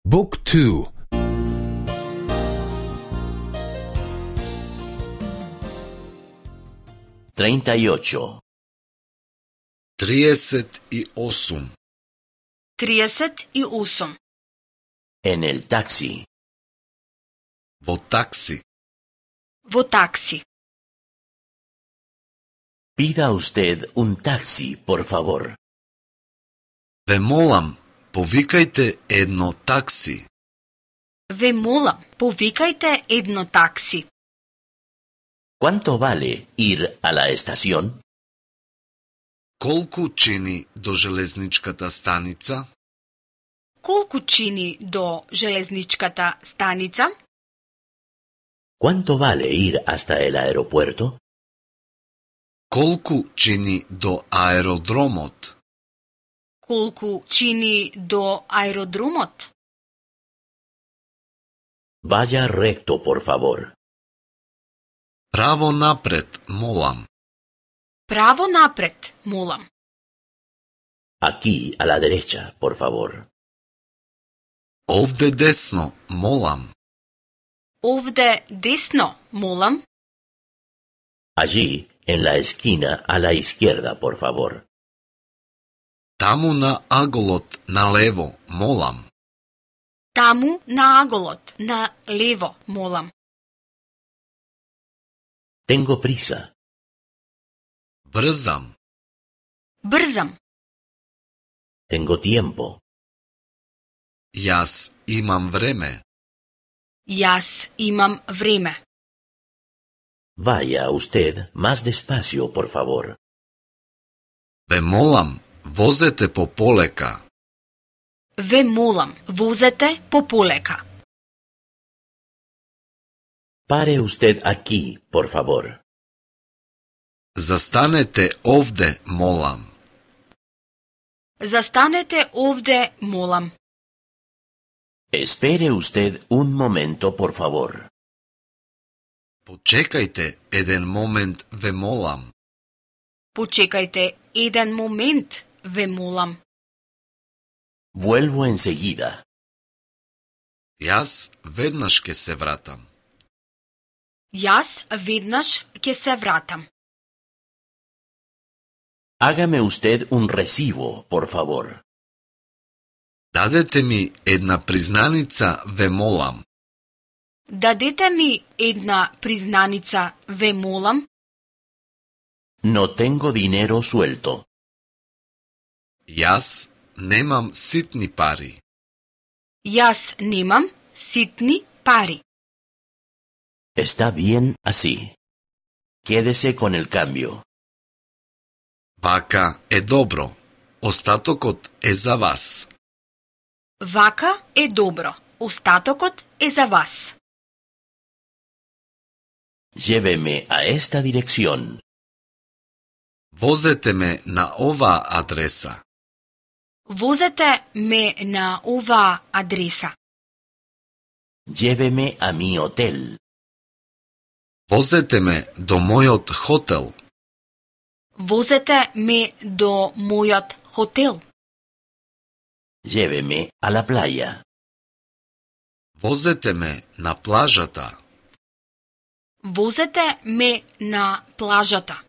Book 2. 38. 38. 38. En el taxi. Во такси. Во такси. Pida usted un taxi, por favor. Ве молам, повикајте едно такси. Ве молам, повикајте едно такси. ¿Cuánto vale ir a la estación? Колку чини до железничката станица? Колку чини до железничката станица? ¿Cuánto vale ir hasta el aeropuerto? Колку чини до аеродромот? Колку чини до аеродромот? Vaya recto, por favor. Право напред, молам. Право напред, молам. Aquí, a la derecha, por favor. Овде десно, молам. Овде десно, молам. Allí, en la esquina, a la izquierda, por favor. Таму на аголот, налево, молам. Таму на аголот, на лево, молам. Tengo prisa. Брзам. Брзам. Tengo tiempo. Јас имам време. Јас имам време. Vaya usted más despacio, por favor. Ве молам, возете пополека. Ве молам, возете пополека. Pare usted aquí, por favor. Застанете овде, молам. Застанете овде, молам. Espere usted un momento, por favor. Почекајте еден момент, ве молам. Почекајте еден момент, ве молам. Vuelvo enseguida. Јас веднаш ќе се вратам. Јас веднаш ќе се вратам. Hágame usted un recibo, por favor. Дадете ми една признаница, ве молам. Дадете ми една признаница, ве молам. No tengo dinero suelto. Јас немам ситни пари. Јас немам ситни пари. Está bien así. Quédese con el cambio. Вака е добро. Остатокот е за вас. Вака е добро. Остатокот е за вас. Lléveme a esta dirección. Возете ме на оваа адреса. Возете ме на оваа адреса. Lléveme a mi hotel. Возете ме до мојот хотел. Возете ме до мојот хотел. Lléveme a la playa. Возете ме на плажата. Возете ме на плажата.